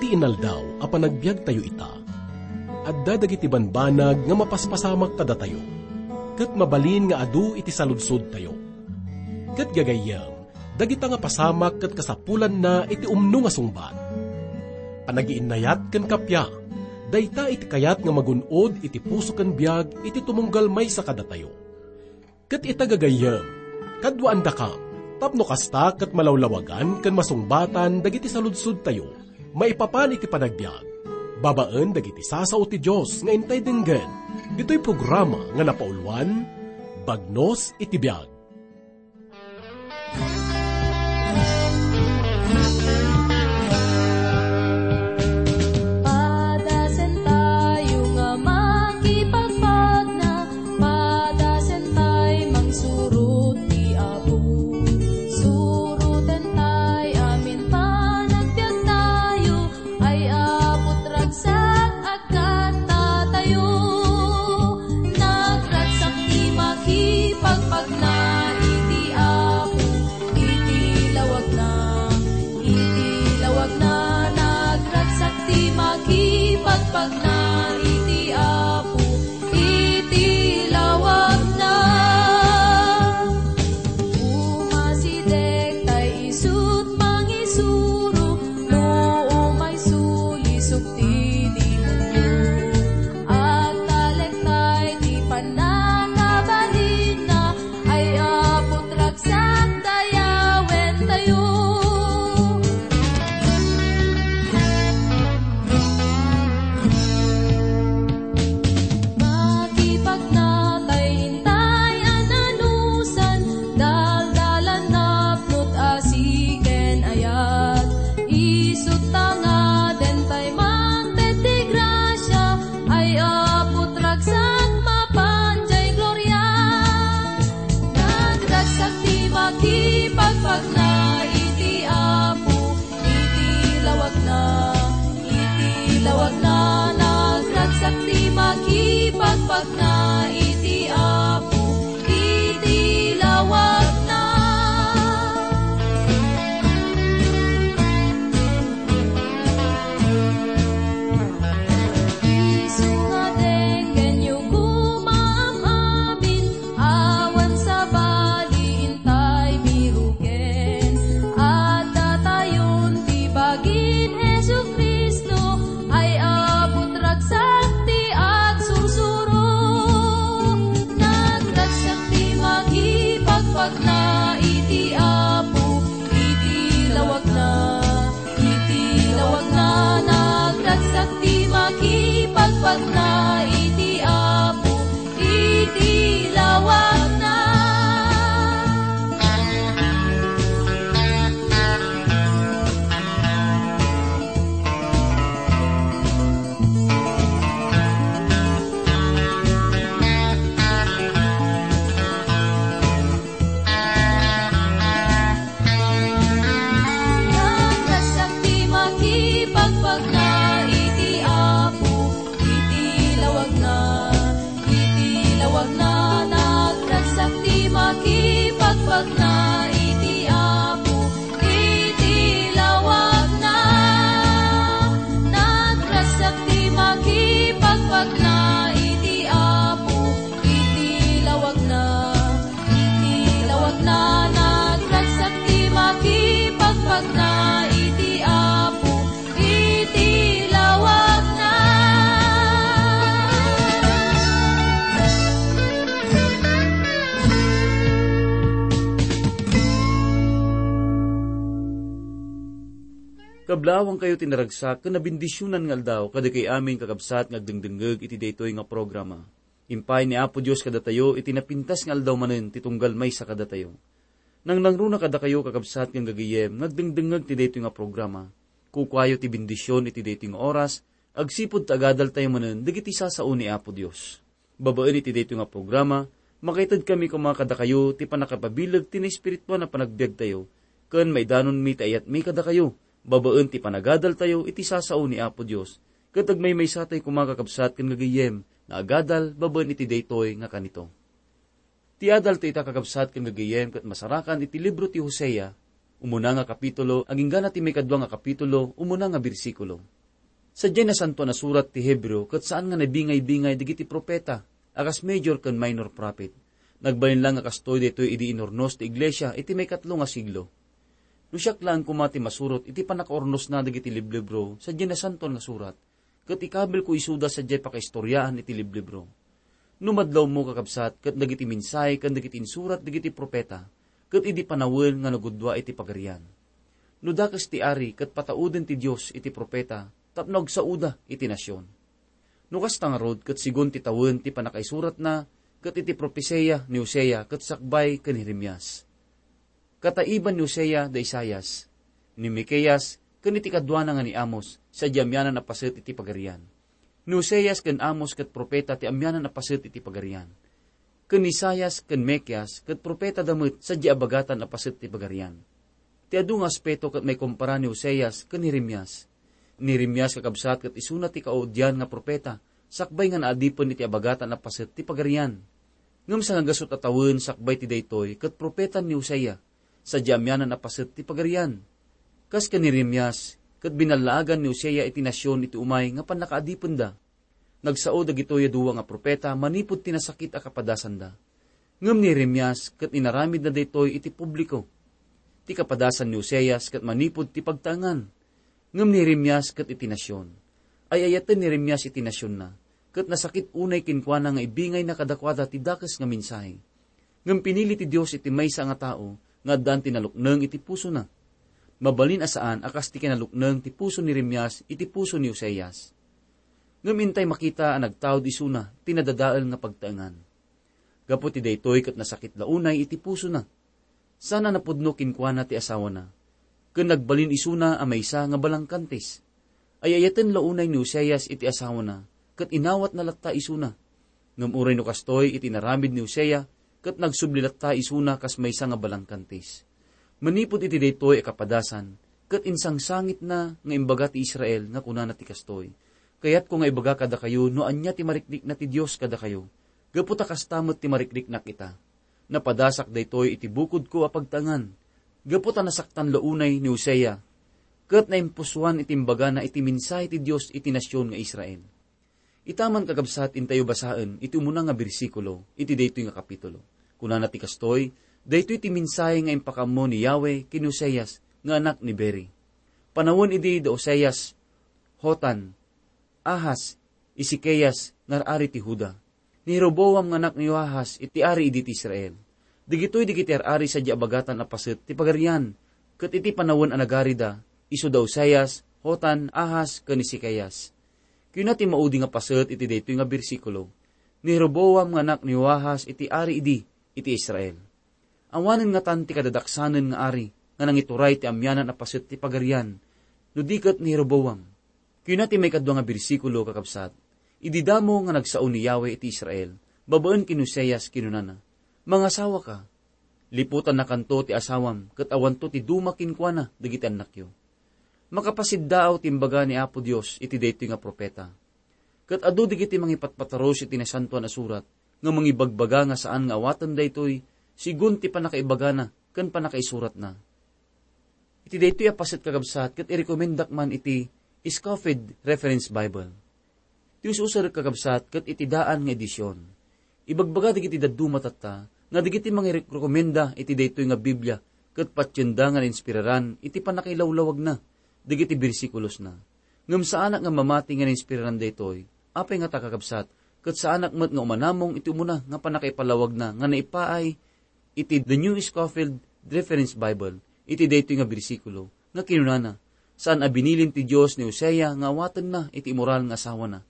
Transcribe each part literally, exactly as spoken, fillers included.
Inaldaw a panagbiagtayo ita, adda dagiti banbanag nga mapaspasamak kadatayo, ket mabalin nga adu iti saludsodtayo. Ket gagayyem, dagita nga pasamak ket kasapulanna iti umno nga sungbat. Panagiinnayat ken kappia, dayta iti kayat nga magun-od iti puso ken biag iti tumunggal maysa kadatayo. Ket ita gagayyem, kaduaandakam, tapno kasta ket malawlawagan ken masungbatan dagiti saludsodtayo maipapan iti panagbiag, babaen dagiti sasao ti Dios nga intay denggen, ditoy programa nga napauluan, Bagnos iti Biag. Padasentayo nga makipagpagna, padasentay mangsurot ti Apo. Surotentay amin panagbiagtayo, ay Apo, ragsak a Kattatayo, nagragsak ti makipagpagna iti Apo, iti lawagna, iti lawagna, nagragsak ti makipagpagna iti Apo, iti lawagna. Umasideg tay isut' mangisuro, no umay sulisog ti demonio. Agtalek tay ti pannakabalinna, ay Apo, ragsak dayawentayo. Makipagna tay intay a nanusan, daldalan napnot asi ken ayat. Isut' ta ngaden tay mangted ti grasia, ay Apo, ragsak mapan jay gloria. Nagragsak ti makipagpagna iti Apo, iti lawagna, iti lawagna, nagragsak ti makipagpagna iti Apo, iti lawagna. Isu nga denggenyo koma am-amin, awan sabali intay biruken. Addatayon ti bagin Jesu-Cristo, ay Apo, ragsak ti agsursuro. Nagragsak ti makipagpagna iti Apo, iti lawagna. Iti lawagna, nagragsak ti makipagpagna iti Apo, iti lawagna. Nagragsak ti makipagpagna iti Apo, iti lawagna, iti lawagna, nagragsak ti makipagpagna iti Apo, iti lawagna. Nagragsak ti makipagpagna iti Apo, iti lawagna. Iti lawagna, nagragsak ti makipagpagna iti Apo, iti lawagna. Kablaawankayo ti naragsak ken nabendisionan nga aldaw kadagiti amin, kakabsat, nga agdengdengngeg iti daytoy nga programa. Impay ni Apo Dios kadatayo iti napintas nga aldaw manen ti tunggal maysa kadatayo. Nangnangruna kadakayo, kakabsat ken gagayyem, nga agdengdengngeg ti daytoy nga programa. Kukuayo ti bendision iti daytoy nga oras, agsipud ta agadaltayo manen dagiti sasao ni Apo Dios. Babaen iti daytoy nga programa, makaitedkami koma kadakayo ti pannakapabileg ti naespirituan a panagbiagtayo, ken maidanonmi ti ayatmi kadakayo, babaen ti panagadaltayo iti sasao ni Apo Dios, ket agmaymaysatayo koma, kakabsat ken gagayyem, nga agadal babaen iti daytoy nga kanito. Ti adaltayo ita, kakabsat ken gagayyem, ket masarakan iti libro ti Hosea, umuna nga kapitulo, agingga na ti maikadua nga kapitulo, umuna nga bersikulo. Sadiay Nasantoan a Surat ti Hebreo ket saan nga nabingay-bingay dagiti profeta a kas major ken minor prophet. Nagbalin la nga kastoy daytoy idi inurnos ti iglesia iti maikatlo nga siglo. No siak laeng koma ti masurot iti pannakaurnosna dagiti liblibro sadiay Nasantoan nga Surat, ket ikabilko isuda sadiay pakaistoriaan iti liblibro. No madlawmo, kakabsat, ket dagiti mensahe ken dagiti insurat dagiti profeta, ket idi panawen nga nagudua iti pagarian. No dakes ti ari ket patauden ti Dios iti profeta tapno agsaoda iti nasion. No kasta ngarud, ket sigun ti tawen ti pannakaisuratna ket iti propesia ni Hosea ket sakbay ken Jeremias. Kataiban ni Hosea da Isaias, ni Miqueas, ken iti kaduana nga ni Amos, sadiay amianan a paset iti pagarian. Ni Hoseas ken Amos ket profeta ti amianan a paset iti pagarian. Ken ni Isaias ken Miqueas ket profeta da met sadiay abagatan a paset ti pagarian. Ti adu nga aspeto ket maikumpara ni Hoseas ken Jeremias. Ni Jeremias, kakabsat, ket isuna ti kaudian nga profeta, sakbay nga naadipen iti abagatan a paset ti pagarian. Ngem sangagasut a tawen sakbay ti daytoy ket profetan ni Hosea, sadiay amianan a paset ti pagarian. Kas ken ni Jeremias, ket binallaagan ni Hosea iti nasion iti umay nga pannakaadipenda. Nagsao dagitoy a dua nga profeta manipud ti nasakit a kapadasanda. Ngem ni Jeremias ket inaramidna daytoy iti publiko. Ti kapadasan ni Hoseas ket manipud ti pagtaengan. Ngem ni Jeremias ket iti nasion. Ay-ayaten ni Jeremias iti nasionna, ket nasakit unay kenkuana nga ibingayna kadakuada ti dakes nga mensahe. Ngem pinili ti Dios iti maysa nga tao nga addaan ti nalukneng iti pusona. Mabalin a saan a kas ti kinalukneng ti puso ni Jeremias iti puso ni Hoseas. Ngem intay makita a nagtaud isuna ti nadadael nga pagtaengan. Gapu ti daytoy ket nasakit la unay iti pusona. Saan a napudno kenkuana ti asawana. Ken nagbalin isuna a maysa nga balangkantis. Ay-ayaten la unay ni Hoseas iti asawana, ket inawatna latta isuna. Ngem uray no kastoy iti inaramid ni Hosea, ket nagsubli latta isuna kas maysa nga balangkantis. Manipud iti daytoy a kapadasan, ket insangsangitna nga imbaga ti Israel nga kunana ti kastoy, "Kayatko nga ibaga kadakayo no ania ti mariknana ti Dios kadakayo, gapu ta kasta met ti mariknakna ita." Napadasak daytoy iti bukodko a pagtaengan, gapu ta nasaktan la unay ni Hosea, ket naimpusoan iti imbagana iti mensahe ti Dios iti nasion nga Israel. Ita man, kakabsat, intayo basaen iti umuna nga bersikulo iti daytoy nga kapitulo. Kunana ti kastoy, "Daytoy ti mensahe nga impakaammo ni Yahweh ken Hoseas nga anak ni Beri. Panawen idi da Hoseas, Hotan, Ahaz, Ezekias nga ar-ari ti Juda. Ni Jeroboam nga anak ni Joahaz iti ari idi ti Israel. Dagitoy dagiti ar-ari sadiay abagatan a paset ti pagarian, ket iti panawen a nagarida, isu da Oseas, Hotan, Ahaz, ken Ezekias." Kuna ti maudi nga paset iti daytoy nga bersikulo, "Ni Jeroboam nga anak ni Joahaz iti ari idi iti Israel." Awanen ngatan ti kadadaksanen nga ari nga nangituray ti amianan a paset ti pagarian, no di ket ni Jeroboam. Kuna ti maikadua nga bersikulo, kakabsat, "Idi damo nga nagsao ni Yahweh iti Israel, babaen ken Oseas, kinunana, 'Mangasawaka. Liputannakanto ti asawam, ket awanto ti duma kenkuana dagiti annakyo.'" Makapasiddaaw ti imbaga ni Apo Dios iti daytoy nga profeta. Ket adu dagiti mangipatpatarus iti Nasantoan a Surat nga mangibagbaga nga saan nga awaten daytoy, sigun ti pannakaibagana ken pannakaisuratna. Iti daytoy a paset, kakabsat, ket irekomendak man iti Scofield Reference Bible. Ti us-user, kakabsat, ket iti daan nga edision. Ibagbaga dagiti dadduma tatta nga dagiti mangirekomenda iti daytoy nga Biblia ket patienda nga nainspiraran iti pannakailawlawagna dagiti bersikulosna. Ngem saanak nga mamati nga nainspiraran daytoy. Apay ngata, kakabsat, ket saanak met nga umanamong iti umuna nga pannakaipalawagna nga naipaay iti The New Scofield Reference Bible iti daytoy nga bersikulo nga kinunana, "Saan a binilin ti Dios ni Hosea nga awatenna iti immoral nga asawana.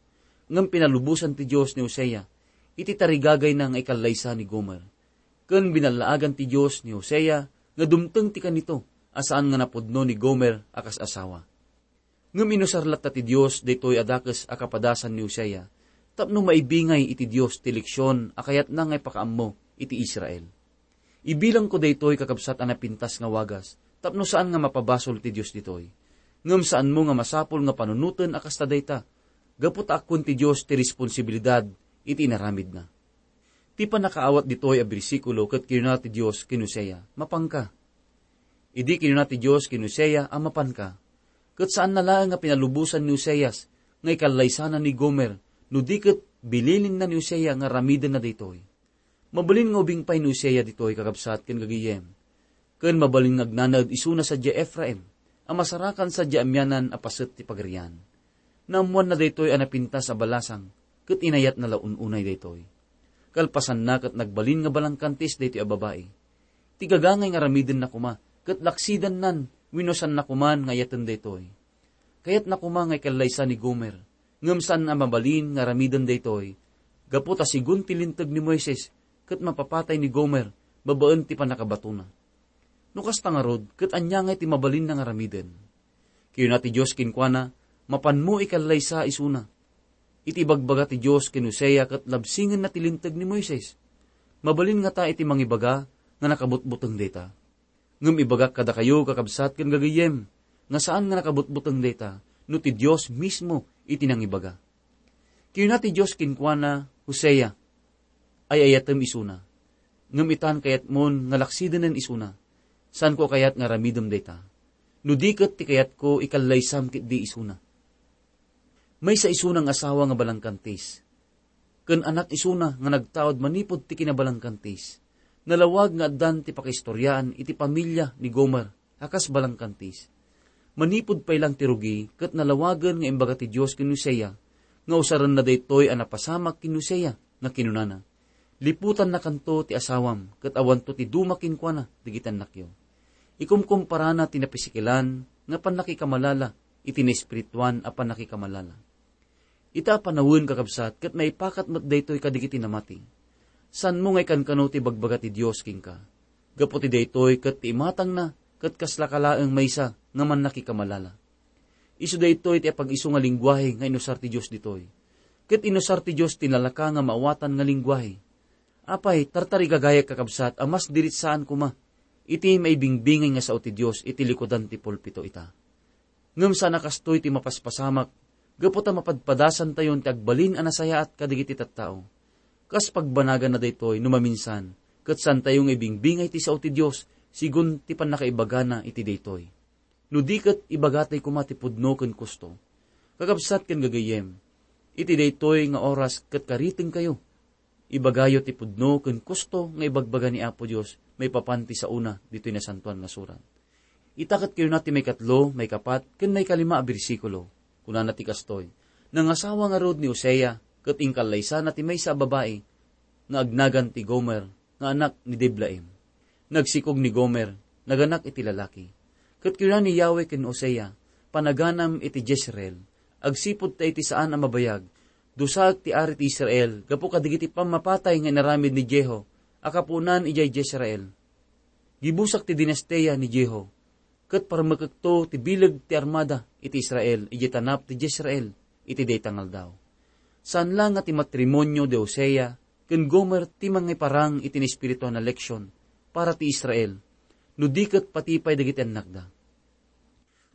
Ngem pinalubosan ti Dios ni Hosea iti tarigagayna nga ikallaysa ni Gomer. Ken binallaagan ti Dios ni Hosea nga dumteng ti kanito a saan nga napudno ni Gomer a kas asawa." Ngem inusar latta ti Dios daytoy a dakes a kapadasan ni Hosea tapno maibingay iti Dios ti leksion a kayatna nga ipakaammo iti Israel. Ibilangko daytoy, kakabsat, a napintas nga wagas tapno saan nga mapabasol ti Dios ditoy. Ngem saanmo nga masapul nga panunoten a kasta dayta, gapu ta akkuen ti Dios ti responsibilidad iti inaramidna. Ti pannakaawat ditoy a bersikulo ket kinuna ti Dios ken Hosea, "Mapanka." Idi kinuna ti Dios ken Hosea a mapanka, ket saanna laeng nga pinalubosan ni Hoseas nga ikallaysana ni Gomer, no di ket bililinna ni Hosea nga aramidenna daytoy. Mabalin nga ubing pay ni Hosea ditoy, kakabsat ken gagayyem. Ken mabalin nga agnanaed isuna sadiay Efraim, a masarakan sadiay amianan a paset ti pagarian. Naammoanna daytoy a napintas a balasang, ket inayatna la un-unay daytoy. Kalpasanna ket nagbalin nga balangkantis daytoy a babai. Ti gagangay nga aramidenna koma, ket laksidannan, wenno saanna koman nga ayaten daytoy. Kayatna koma nga ikallaysa ni Gomer, ngem saan a mabalin nga aramiden daytoy, gapu ta sigun ti linteg ni Moises, ket mapapatay ni Gomer babaen ti pannakabatona. No kasta ngarud, ket ania ngay ti mabalinna nga aramiden? Kinuna ti Dios kenkuana, "Mapanmo ikallaysa isuna." Iti ibagbaga ti Dios ken Hosea ket labsingenna ti linteg ni Moises. Mabalin ngata iti mangibaga nga nakabutbuteng dayta. Ngem ibagak kadakayo, kakabsat ken gagayyem, nga saan nga nakabutbuteng dayta, no ti Dios mismo iti nangibaga. Kinuna ti Dios kenkuana, "Hosea, ay-ayatem isuna. Ngem itan kayatmon nga laksidenen isuna. Saanko a kayat nga aramidem dayta. No di ket ti kayatko, ikallaysam ketdi isuna." Maysa isuna nga asawa nga balangkantis, ken anak isuna nga nagtaud manipud ti kinabalangkantis. Nalawag nga addan ti pakaistoriaan iti pamilia ni Gomer a kas balangkantis. Manipud pay lang ti rugi, ket nalawagen nga imbaga ti Dios ken Hosea nga usarenna daytoy a napasamak ken Hosea nga kinunana, "Liputannakanto ti asawam, ket awanto ti duma kenkuana dagiti annakyo." Ikumkumparana ti napisikelan nga pannakikamalala iti naespirituan a pannakikamalala. Ita a panawen, kakabsat, ket maipakat met daytoy kadagiti namati. Saanmo nga ikankano ti bagbaga ti Dios kenka. Gapu ti daytoy ket ti imatangna ket kaslaka laeng maysa nga mannakikamalala. Isu daytoy ti apag-isu nga lenguahe nga inusar ti Dios ditoy. Ket inusar ti Dios ti nalaka nga maawatan nga lenguahe. Apay, tartarigagayak, kakabsat, a mas diretsaan koma iti maibingbingay nga sao ti Dios iti likudan ti pulpito ita. Ngem saan a kastoy ti mapaspasamak, gapu ta mapadpadasantayon ti agbalin a nasayaat kadagiti tattao. Kas pagbanaganna daytoy no maminsan, ket saantayo nga ibingbingay ti sao ti Dios sigun ti pannakaibagana iti daytoy. No di ket ibagatay koma ti pudno ken kusto. Kakabsat ken gagayyem, iti daytoy nga oras ket karitengkayo. Ibagayo ti pudno ken kusto nga ibagbaga ni Apo Dios maipapan ti saona ditoy Nasantoan nga Surat. Ita ket kinuna ti maikatlo, maikapat, ken maikalima a bersikulo. Kunana ti kastoy, "Nangasawa ngarud ni Hosea, ket inkallaysana ti maysa a babai nga agnagan ti Gomer, nga anak ni Diblaim." Nagsikog ni Gomer, naganak iti lalaki. Ket kinuna ni Yahweh ken Hosea, "Panaganam iti Jezreel, agsipud ta iti saan a mabayag, dusaek ti ari ti Israel gapu kadagiti pammapatay nga inaramid ni Jeho a kapuonan idiay Jezreel. Gibusak ti dinastia ni Jeho, ket parmekekto ti bileg ti armada iti Israel idiay tanap ti Jezreel iti dayta nga aldaw." Saan la nga ti matrimonio di Hosea ken Gomer ti mangiparang iti naespirituan a leksion para ti Israel, no di ket pati pay dagiti annakda.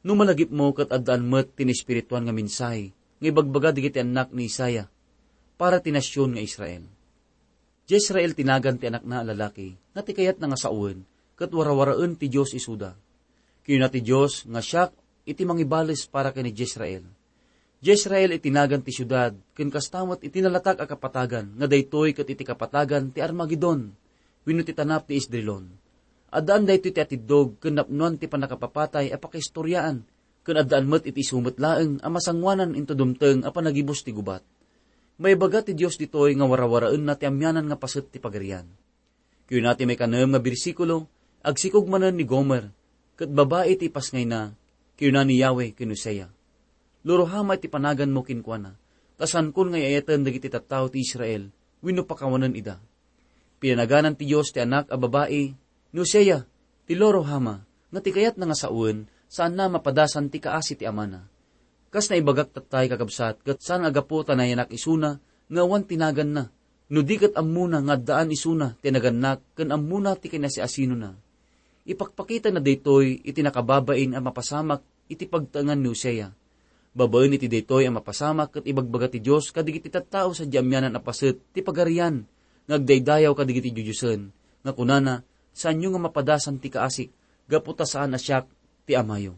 No malagipmo ket addaan met ti naespirituan nga mensahe nga ibagbaga dagiti annak ni Isaiah para ti nasion nga Israel. Jezreel ti nagan ti anakna a lalaki nga ti kayatna nga sawen ket warawaraen ti Dios isuda. Kinuna ti Dios nga siak iti mangibales para ken ni Jezreel. Jezreel iti nagan ti siudad, ken kasta met iti nalatak a kapatagan nga daytoy ket iti kapatagan ti Armagedon wenno ti tanap ti Esdrelon. Addaan daytoy ti atiddog ken napnoan ti pannakapapatay a pakaistoriaan, ken addaan met iti isu met laeng a masangoanan inton dumteng a panagibus ti gubat. Maibaga ti Dios ditoy nga warawaraenna ti amianan nga paset ti pagarian. Kinuna ti maikanem nga bersikulo, "Agsikog manen ni Gomer, ket babai ti ipasngayna," kinuna ni Yahweh ken Hosea. "Lo Ruhama iti panaganmo kenkuana, ta saankon nga ay-ayaten dagiti tattao ti Israel wenno pakawanen ida." Pinanaganan ti Dios ti anak a babai ni Hosea, ti Lo Ruhama, nga ti kayatna nga sawen, saanna a mapadasan ti kaasi ti amana. Kas naibagak tattay, kakabsat, ket saan a gapu ta nayanak isuna nga awan ti naganna, no di ket ammona nga addaan isuna ti nagannak ken ammona ti kinasiasinona. Ipakpakitana daytoy iti nakababain a mapasamak iti pagtaengan ni Hosea. Babaen iti daytoy a mapasamak ket ibagbaga ti Dios kadagiti tattao sadiay amianan a paset ti pagarian nga agdaydayaw kadagiti didiosen, nga kunana, "Saanyo nga mapadasan ti kaasik, gapu ta saan a siak ti amayo."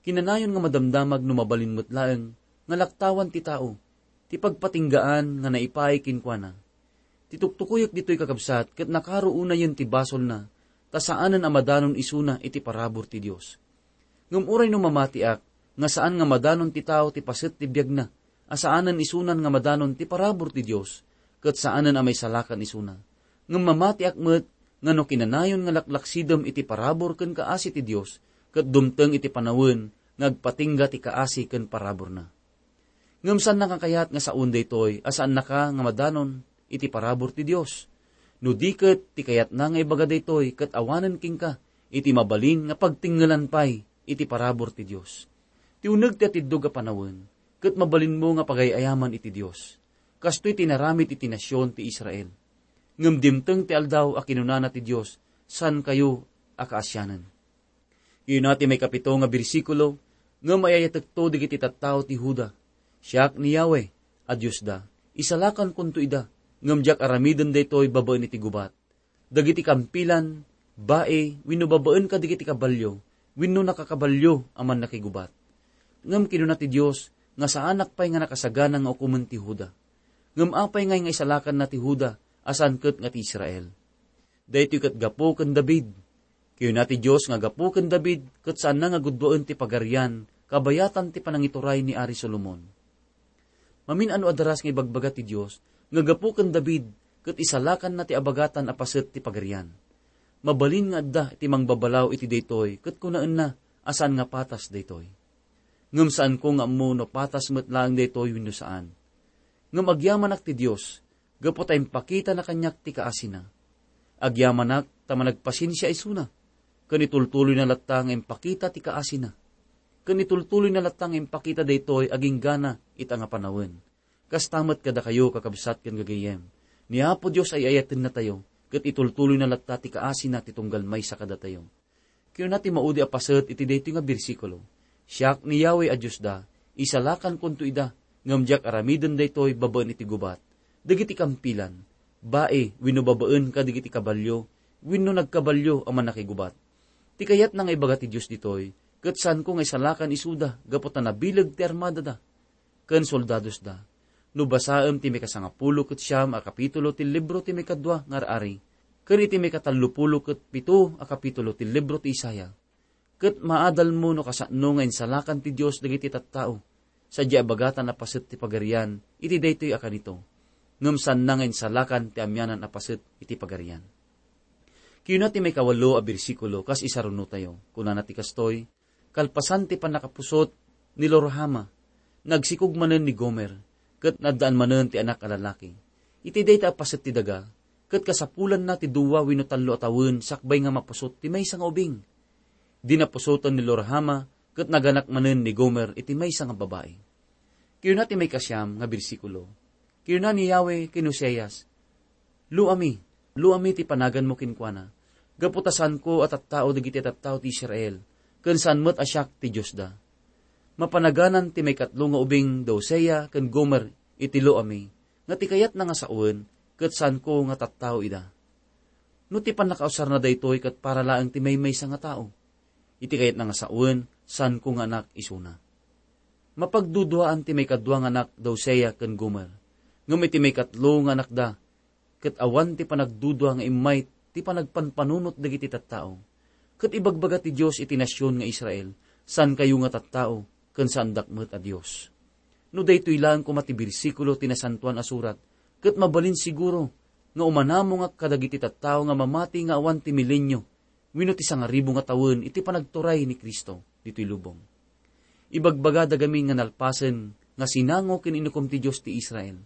Kinanayon nga madamdamag no mabalin met laeng nga laktawan ti tao ti pagpatinggaan nga naipaay kenkuana. Ti tuktukuyek ditoy, kakabsat, ket nakaro unayen ti basolna, ta saanen a madanon isuna iti parabur ti Dios. Ngem uray no mamatiak nga saan nga madanon ti tao ti paset ti biagna, a saanen isunan nga madanon ti parabur ti Dios, ket saanen a maisalakan isuna. Ngem mamatiak met nga no kinanayon nga laklaksidem iti parabur ken kaasi ti Dios, ket dumteng iti panawen nga agpatingga ti kaasi ken paraburna. Ngem saannaka kayat nga saoen daytoy a saannaka nga madanon iti parabur ti Dios? No di ket, ti kayatna nga ibaga daytoy ket awanen kenka iti mabalin nga pagtengngelan pay iti parabur ti Dios. Ti uneg ti atiddog a panawen, ket mabalinmo nga pagay-ayaman iti Dios. Kastoy ti naramid iti nasion ti Israel. Ngem dimteng ti aldaw a kinunana ti Dios, saankayo a kaasianen. Kayuna ti maikapito nga bersikulo, ngem ay-ayatekto dagiti tattao ti Juda. Siak ni Yahweh a Diosda, isalakankonto ida, ngem diak aramiden daytoy babaen iti gubat. Dagiti kampilan, bai, wenno babaen kadagiti kabalio, wenno nakakabalio a mannakigubat. Ngem kinuna ti Dios nga saanak pay nga nakasagana nga ukomen ti Juda. Ngem apay ngay nga isalakanna ti Juda a saan ket nga ti Israel? Daytoy ket gapu ken David. Kinuna ti Dios nga gapu ken David ket saanna nga guddoen ti pagarian kabayatan ti panangituray ni Ari Solomon. Mamin-ano a daras nga ibagbaga ti Dios nga gapu ken David ket isalakanna ti abagatan a paset ti pagarian. Mabalin nga adda ti mangbabalaw iti daytoy ket kunaenna a saan nga patas daytoy. Ngem saanko nga ammo no patas met laeng daytoy wenno saan. Ngem agyamanak ti Dios gapu ta impakitana kaniak ti kaasina. Agyamanak ta managpasensia isuna, ken itultuloyna latta nga impakita ti kaasina. Ken itultuloyna latta nga impakita daytoy aginggana ita nga panawen. Kasta met kadakayo, kakabsat ken gagayyem. Ni Apo Dios ay ayatennatayo, ket itultuloyna latta ti kaasina ti tunggal maysa kadatayo. Kinuna ti maudi a paset iti daytoy nga bersikulo, "Siak ni Yahweh a Diosda, isalakankonto ida, ngem diak aramiden daytoy babaen iti gubat. Dagiti kampilan, bai, wenno babaen kadagiti kabalio, wenno nagkabalio a mannakigubat." Ti kayatna nga ibaga ti Dios ditoy, ket saanko nga isalakan isuda gapu ta nabileg ti armadada ken soldadosda. No basaem ti mikasangapulo ket siam a kapitulo ti libro ti Mikadua nga Ar-ari, ken iti mikatallopulo ket pito a kapitulo ti libro ti Isaiah, ket maadalmo no kasano nga insalakan ti Dios dagiti tattao, sadiay abagatan a paset ti pagarian iti daytoy a kanito, ngem saanna nga insalakan ti amianan a paset iti pagarian. Kinuna ti maikawalo a bersikulo kas isarunotayo. Kunana ti kastoy, "Kalpasan ti pannakapusot ni Lo-Ruhama, nagsikog manen ni Gomer, ket naaddaan manen ti anak a lalaki. Iti dayta a paset ti daga, ket kasapulanna ti dua wenno tallo a tawen sakbay nga mapusot ti maysa nga ubing. Idi napusoten ni Lo-Ruhama, ket naganak manen ni Gomer iti maysa nga babai." Kinuna ti maikasiam nga bersikulo, kinuna ni Yahweh ken Oseas, "Luami, luami ti panaganmo kenkuana, gapu ta saanko a tattao dagiti tattao ti Israel, ken saan met a siak ti Diosda." Mapanaganan ti maikatlo nga ubing da Hosea ken Gomer iti luami, nga ti kayatna nga sawen, ket saanko nga tattao ida. No ti pannakausarna daytoy ket para laeng ti maymaysa nga tao, iti kayatna nga sawen, saanko nga anak isuna. Mapagduduaan ti maikadua nga anak da Hosea ken Gomer, ngem iti maikatlo nga anakda, ket awan ti panagdudua nga immay ti panagpanpanunot dagiti tattao. Ket ibagbaga ti Dios iti nasion nga Israel, "Saankayo nga tattao, ken saandak met a Dios." No daytoy laeng koma ti bersikulo ti Nasantoan a Surat, ket mabalin siguro nga umanamongak kadagiti tattao nga mamati nga awan ti milenio wenno ti sangaribu nga tawen iti panagturay ni Cristo ditoy lubong. Ibagbagada gamin nga nalpasen nga sinango ken inukom ti Dios ti Israel.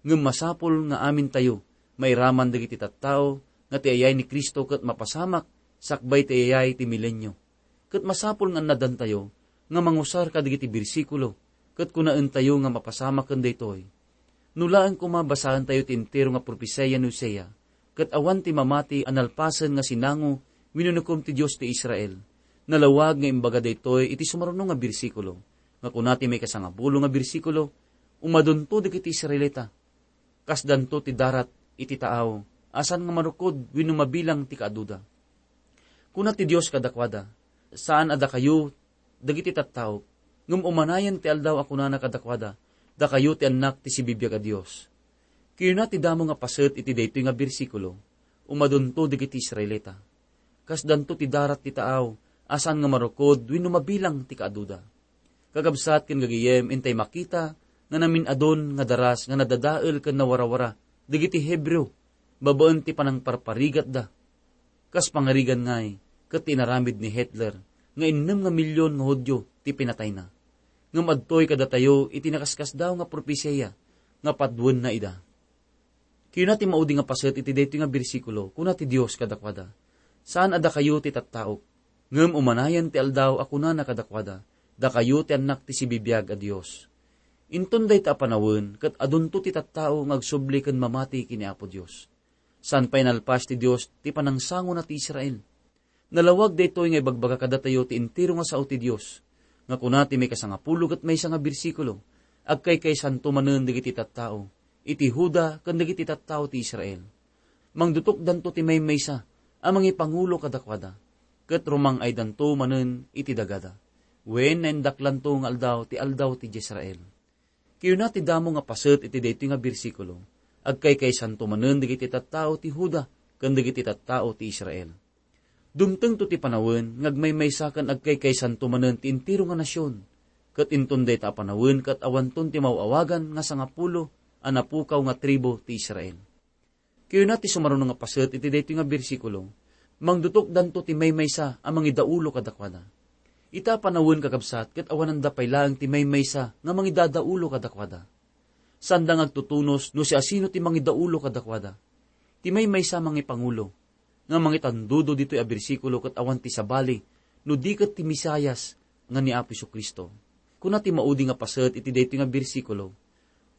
Ngem masapul nga amintayo mairaman dagiti tattao nga ti ayay ni Cristo ket mapasamak sakbay ti ayay ti milenio. Ket masapul nga annadantayo nga mangusar kadagiti bersikulo ket kunaentayo nga mapasamaken daytoy. No laeng koma basaentayo ti entero nga propesia ni Hosea, ket awan ti mamati a nalpasen nga sinango wenno inukom ti Dios ti Israel. Nalawag nga imbaga daytoy iti sumaruno nga bersikulo, nga kuna ti maikasangapulo nga bersikulo, "Umadunto dagiti Israelita, kasdanto ti darat iti taaw, a saan nga marukod wenno mabilang ti kaaduda." Kuna ti Dios kadakuada, "Saan a dakayo dagiti tattaok, Ngem umanayen ti aldaw a kunana kadakuada, "Dakayo ti annak ti sibibiag a Dios." Kayuna ti damo nga paset iti daytoy nga bersikulo, umadunto dagiti Israelita. Kasdanto ti darat ti taaw a saan nga marukod wenno mabilang ti kaaduda. Kakabsat ken gagayem, intay makita nga namin-adun nga daras nga nadadael ken nawarawara dagiti Hebreo babaen ti panangparparigatda. Kas pangarigan ngay, ket ti inaramid ni Hitler nga innem nga milyon nga Judio ti pinatayna. Ngem adtoy kadatayo iti nakaskasdaaw nga propesia nga paduenna ida. Kayuna ti maudi nga paset iti daytoy nga bersikulo, kuna ti Dios kadakuada, "Saan a dakayo ti tattaok, ngem umanayen ti aldaw a kunana kadakuada, 'Dakayo ti annak ti sibibiag a Dios.'" Inton dayta a panawen, ket adunto ti tattao nga agsubli ken mamati ken ni Apo Dios. Saan pay nalpas ti Dios ti panangsangona ti Israel. Nalawag daytoy nga ibagbaga kadatayo ti entero nga sao ti Dios, nga kuna ti maikasangapulo ket maysa nga bersikulo, "Agkaykaysanto manen dagiti tattao iti Juda ken dagiti tattao ti Israel. Mangdutokdanto ti maymaysa a mangipangulo kadakuada, ket rumang-aydanto manen iti dagada, wen naindaklanto nga aldaw ti aldaw ti Israel." Kayuna ti damo nga paset iti daytoy nga bersikulo, "Agkaykaysanto manen dagiti tattao ti Juda ken dagiti tattao ti Israel." Dumtengto ti panawen nga agmaymaysa ken agkaykaysanto manen ti entero nga nasion, ket inton dayta a panawen ket awanton ti maw-awagan nga sangapulo a napukaw nga tribu ti Israel. Kayuna ti sumaruno nga paset iti daytoy nga bersikulo, "Mangdutokdanto ti maymaysa a mangidaulo kadakuada." Ita a panawen, kakabsat, ket awananda pay laeng ti maymaysa nga mangidadaulo kadakuada. Saanda nga agtutunos no siasino ti mangidaulo kadakuada. Ti maymaysa a mangipangulo nga mangitandudo ditoy a bersikulo ket awan ti sabali no di ket ti Mesias nga ni Apo Jesu-Cristo. Kuna ti maudi nga paset iti daytoy nga bersikulo,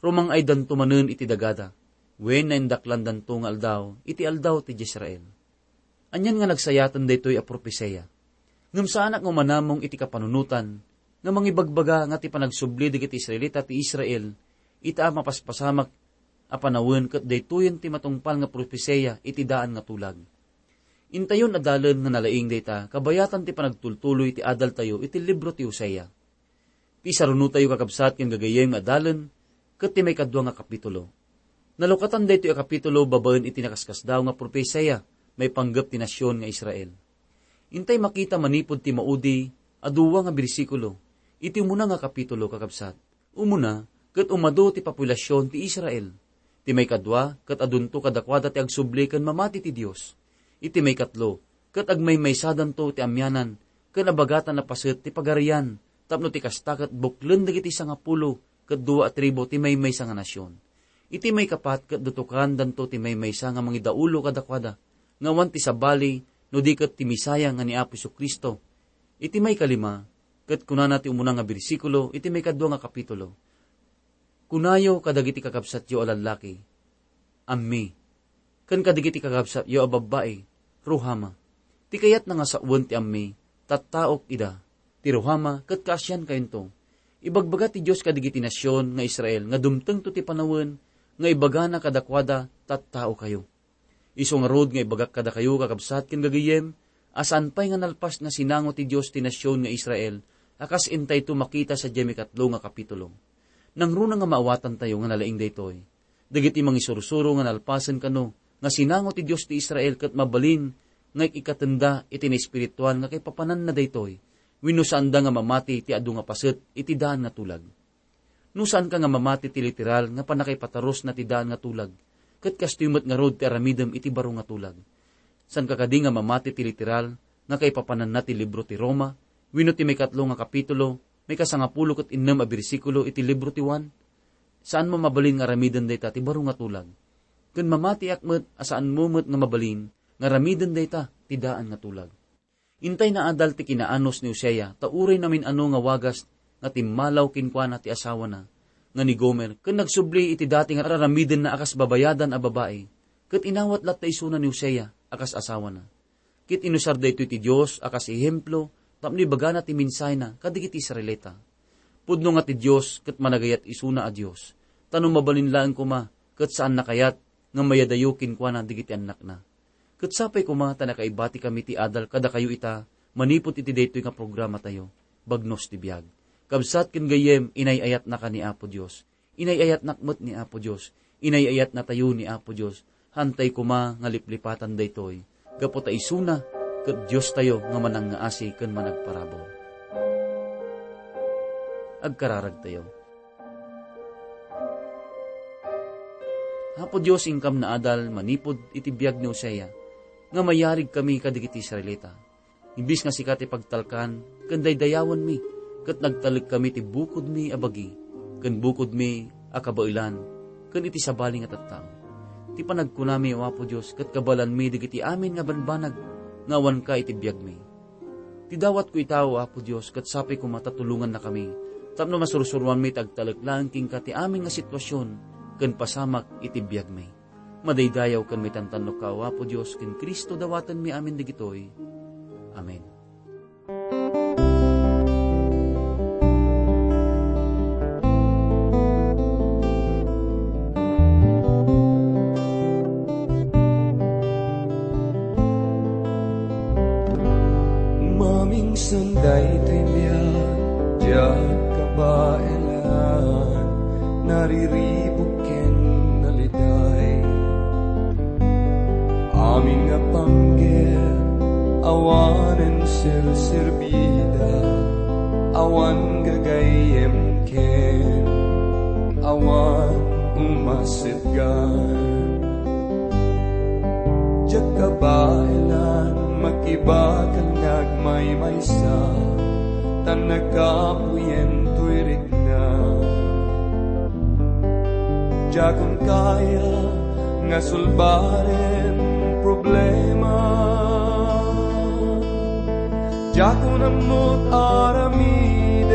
"Rumang-aydanto manen iti dagada, wen naindaklandanto nga aldaw iti aldaw ti Israel." Anian nga nagsayaten daytoy a propesia. Ngem saanak nga umanamong iti kapanunotan nga mangibagbaga nga ti panagsubli dagiti Israelita ti Israel ita a mapaspasamak a panawen ket daytoyen ti matungpal nga propesia iti daan nga tulag. Intayon a dalen nga nalaing dayta kabayatan ti panagtultuloy ti adaltayo iti libro ti Hosea. Ti sarunotayo, kakabsat ken gagayyem nga adalen, ket ti maikadua nga kapitulo. Nalukatan daytoy a kapitulo babaen iti nakaskasdaaw nga propesia maipanggep ti nasion nga Israel. Intay makita manipud ti maudi a dua nga bersikulo iti umuna nga kapitulo, kakabsat. Umuna, ket umadu ti populasion ti Israel. Ti maikadua, ket adunto kadakuada ti agsubli ken mamati ti Dios. Iti maikatlo, ket agmaymaysadanto ti amianan ken abagatan a paset ti pagarian, tapno ti kasta ket buklen dagiti sangapulo ket dua a tribu ti maymaysa nga nasion. Iti maikapat, ket dutokandanto ti maymaysa nga mangidaulo kadakuada, nga awan ti sabali no di ket ti Messiah nga ni Apo Jesu-Cristo. Iti maikalima, ket kunana ti umuna nga bersikulo iti maikadua nga kapitulo, "Kunayo kadagiti kakabsatyo a lallaki, 'Ammi,' ken kadagiti kakabsatyo a babbai, 'Ruhama.' Ti kayatna nga sawen ti 'Ammi, tattaok ida. Ti 'Ruhama' ket kaasiankayonto. Ibagbaga ti Dios kadagiti nasion nga Israel nga dumtengto ti panawen nga ibagana kadakuada, 'Tattaokayo.' Isu ngarud nga ibagak kadakayo, kakabsat ken gagayyem, a saan pay nga nalpas nga sinango ti Dios ti nasion nga Israel a kas intayto makita sadiay maikatlo nga kapitulo. Nangruna nga maawatantayo nga nalaing daytoy. Dagiti mangisursuro nga nalpasen kano nga sinango ti Dios ti Israel ket mabalin nga ik-ikkatenda iti naespirituan nga kaipapananna daytoy, wenno saanda nga mamati ti adu nga paset iti daan nga tulag. No saanka nga mamati ti literal nga pannakaipatarusna ti daan nga tulag, ket kastoy met ngarud ti aramidem iti baro nga tulag. Saanka kadi nga mamati ti literal nga kaipapananna ti libro ti Roma, wenno ti maikatlo nga kapitulo, maikasangapulo ket innem a bersikulo iti libro ti Juan? Saanmo mabalin nga aramiden dayta ti baro nga tulag. Ken mamatiak met a saanmo met nga mabalin nga aramiden dayta ti daan nga tulag. Intay naadal ti kinaanus ni Hosea, ta uray namin-ano nga wagas nga timmalaw kenkuana ti asawana, nga ni Gomer, ken nagsubli iti dati nga araramidenna a kas babayadan a babai, ket inawat latta isuna ni Hosea a kas asawana. Ket inusar daytoy ti Dios a kas ehemplo tapno ibagana ti mensahena kadagiti Israelita. Pudno nga ti Dios ket managayat isuna a Dios, ta no mabalin laeng koma, ket saanna kayat nga mayadayo kenkuana dagiti annakna. Ket sapay koma ta nakaibatikami ti adal kadakayo ita manipud iti daytoy nga programatayo, Bagnos ti Biag. Kabsat ken gayyem, inay-ayatnaka ni Apo Dios. Inay-ayatnak met ni Apo Dios. Inay-ayatnatayo ni Apo Dios. Hantay koma nga liplipatan daytoy, gapu ta isuna ket Diostayo nga manangngaasi ken managparabur. Agkararagtayo. Apo Dios, inkam naadal manipud iti biag ni Hosea nga mayarigkami kadagiti Israelita. Imbes nga sika ti pagtalkan ken daydayawenmi, ket nagtalekkami ti bukodmi a bagi, ken bukodmi a kabaelan, ken iti sabali nga tattao. Ti panagkunami, O Apo Dios, ket kabaelanmi dagiti amin nga banbanag nga awanka iti biagmi. Ti dawatko ita, O Apo Dios, ket sapay koma ta tulongannakami, tapno masursuroanmi ti agtalek laeng kenka ti amin nga sitwasion ken pasamak iti biagmi. Madaydayaw ken maitantannokka, O Apo Dios, ken Cristo dawatenmi amin dagitoy. Amen. Mamingsan daytoy biag, diak kabaelan, nariribuk ken naliday. Amin nga panggep, awanen serserbida, awan gagayyem ken awan umasetgan. Diak kabaelan, makibakal nga agmaymaysa, ta nagkapuyen toy rikna. Diakon kaya nga sulbaren problema. Diakon ammot aramiden.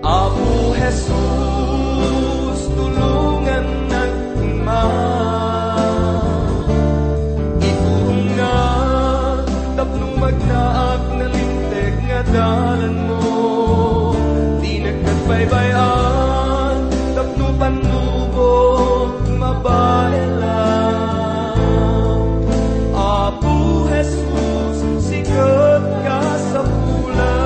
Apo Jesus, tulongannak koma. Iturongnak tapno magnaak nalinteg nga dalanmo. Dinak nagbaybay-an tapno pannubok mabaelan. Apo Jesus, sika ti kasapulan.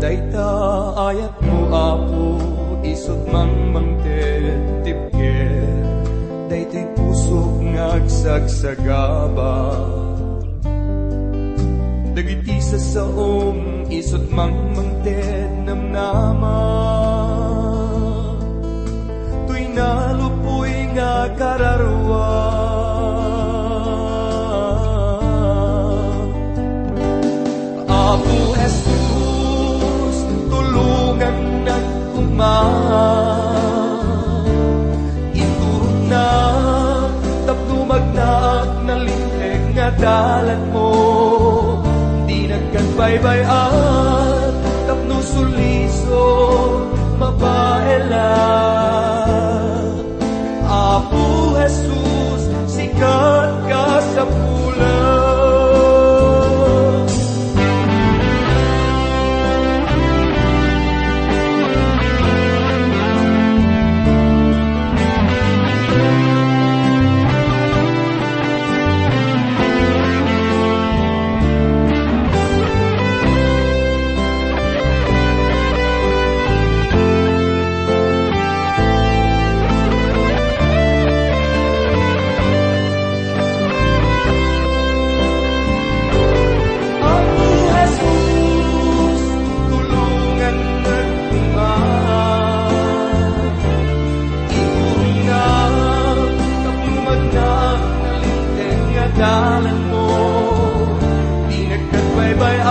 Dayta ayatmo, Apo, isut' mangmangted ti pigek. Daytoy pusok nga agsagsagaba. Dagiti sasaom, isut' mangmangted namnama. Toy nalupoy nga kararua. Apo Jesus, tulongannak koma. Iturongnak tapno magnaak nalinteg nga dalanmo. Dinak nagbaybay-an tapno sulisok mabaelan. Apo Jesus, sika ti kasapulan. Apo Jesus, tulongannak koma. Iturongnak tapno magnaak nalinteg nga dalanmo. Dinak nagbaybay